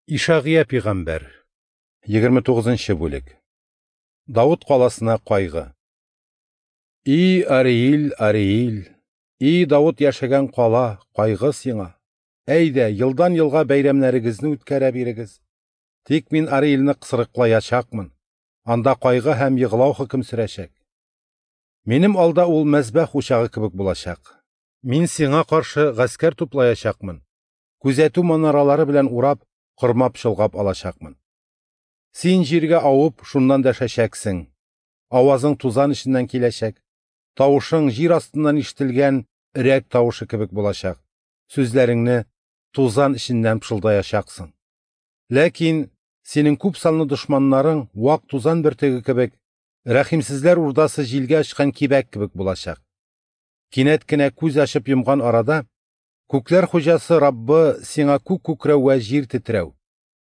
Ишагыя пигамбәр, 29 нчы бүлек. Давыт каласына кайгы. И Ариил, Ариил, и Давыт яшәгән кала, кайгы сиңа! Әйдә, елдан-елга бәйрәмнәрегезне үткәрә бирегез. Тик мин Ариилне кысрыклаячакмын. Анда кайгы һәм егълау хөкем сөрәчәк. Минем алда ул мәзбәх учагы кебек булачак. Мин сиңа каршы гаскәр туплаячакмын, күзәтү манаралары белән урап, кормап-чолгап алачакмын. Син җиргә авып, шуннан дәшәчәксең. Авазың тузан эченнән киләчәк. Тавышың җир астыннан ишетелгән өрәк тавышы кебек булачак. Сүзләреңне тузан эченнән пышылдаячаксың. Ләкин синең күп санлы дошманнарың вак тузан бөртеге кебек, рәхимсезләр урдасы җилгә очкан кибәк кебек булачак. Кинәт кенә күз ачып йомган арада, күкләр хуҗасы Раббы сиңа күк күкрәү вә җир тетрәү,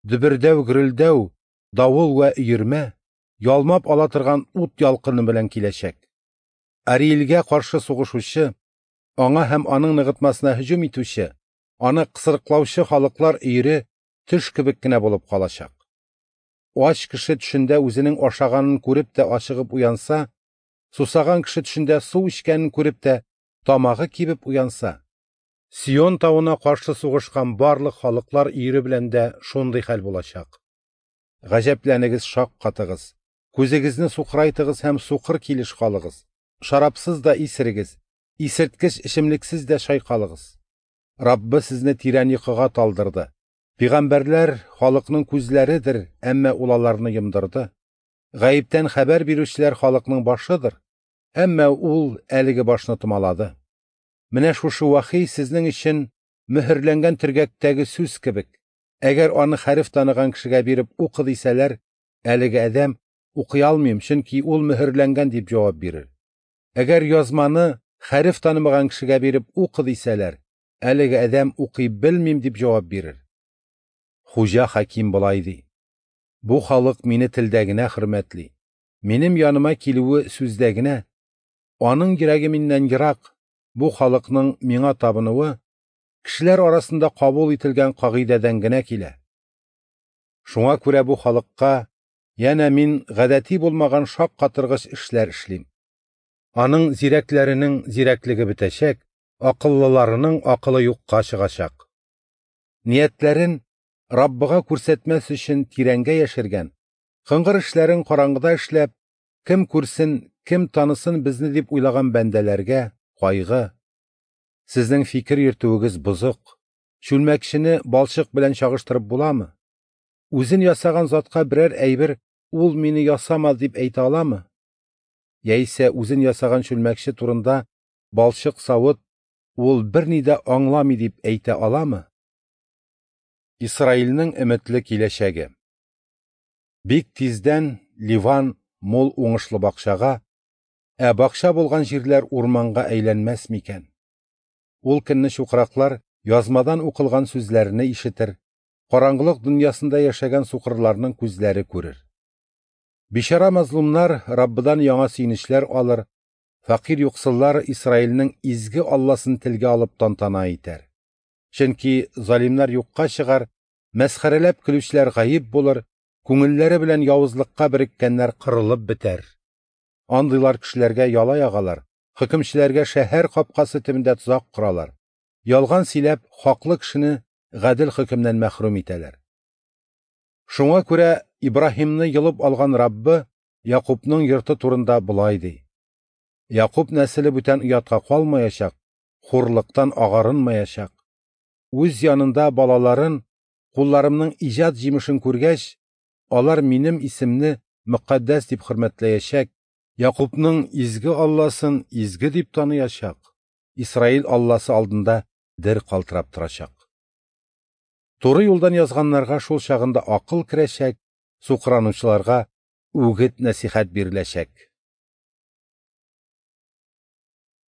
дөбердәү-гөрелдәү, давыл вә өермә, ялмап ала торган ут ялкыны белән киләчәк. Ариэльгә каршы сугышучы, аңа һәм аның ныгытмасына һөҗүм итүче, аны кысрыклаучы халыклар өере төш кебек кенә булып калачак. Ач кеше төшендә үзенең ашаганын күреп тә ачыгып уянса, сусаган кеше төшендә су эчкәнен күреп тә тамагы кибеп уянса, Сион тавына каршы сугышкан барлык халыклар өере белән дә шундый хәл булачак. Гаҗәпләнегез, шаккатыгыз, күзегезне сукырайтыгыз һәм сукыр килеш калыгыз, шарапсыз да исерегез, исерткеч эчемлексез дә чайкалыгыз. Раббы сезне тирән йокыга талдырды. Пигамбәрләр халыкның күзләредер, әмма ул аларны йомдырды. Гаептән хәбәр бирүчеләр халыкның башыдыр, әмма ул әлеге башны томалады. Менә шушы вахи сезнең өчен мөһерләнгән төргәктәге сүз кебек. Әгәр аны хәреф таныган кешегә биреп укы дисәләр, әлеге адәм укый алмыйм, чөнки ул мөһерләнгән дип җавап бирер. Әгәр язманы хәреф танымаган кешегә биреп укы дисәләр, әлеге адәм укый белмим дип җавап бирер. Хуҗа хаким болай ди: Бу халык мине телдә генә хөрмәтли. Минем яныма килүе сүздә генә. Аның йөрәге миннән ерак. Бу халыкның миңа табынуы кешеләр арасында кабул ителгән кагыйдәдән генә килә. Шуңа күрә бу халыкка янә мин гадәти булмаган шаккатыргыч эшләр эшлим. Аның зирәкләренең зирәклеге бетәчәк, акыллыларының акылы юкка чыгачак. Ниятләрен Раббыга күрсәтмәс өчен тирәнгә яшергән, кыңгыр эшләрен караңгыда эшләп, кем күрсен, кем танысын безне дип уйлаган бәндәләргә кайгы. Сезнең фикер йөртүегез бозык. Чүлмәкчене балчык белән чагыштырып буламы? Үзен ясаган затка берәр әйбер ул мине ясамады дип әйтә аламы? Яисә үзен ясаган чүлмәкче турында балчык савыт ул берни дә аңламый дип әйтә аламы? Исраилнең өметле киләчәге. Бик тиздән Ливан мул уңышлы бакчага, ә бакча булган җирләр урманга әйләнмәс микән? Ул көнне чукраклар язмадан укылган сүзләрне ишетер, караңгылык дөньясында яшәгән сукырларның күзләре күрер. Бичара мазлумнар Раббыдан яңа сөенечләр алыр, фәкыйрь юксыллар Исраилнең изге Алласын телгә алып тантана итәр. Чөнки залимнар юкка чыгар, мәсхәрәләп көлүчеләр гаип булыр, күңелләре белән явызлыкка береккәннәр кырылып бетәр. Андыйлар кешеләргә яла ягалар, хөкемчеләргә шәһәр капкасы төбендә тозак коралар. Ялган сөйләп, хаклы кешене гадел хөкемнән мәхрүм итәләр. Шуңа күрә Ибраһимны йолып алган Раббы Якубның йорты турында болай ди: Якуб нәселе бүтән оятка калмаячак, хурлыктан агарынмаячак. Үз янында балаларын, кулларымның иҗат җимешен күргәч, алар минем исемне мөкаддәс дип хөрмәтләячәк, Якубның изге Алласын изге дип таныячак, Исраил Алласы алдында дер калтырап торачак. Туры юлдан язганнарга шул чагында акыл керәчәк, сукранучыларга үгет нәсихәт биреләчәк.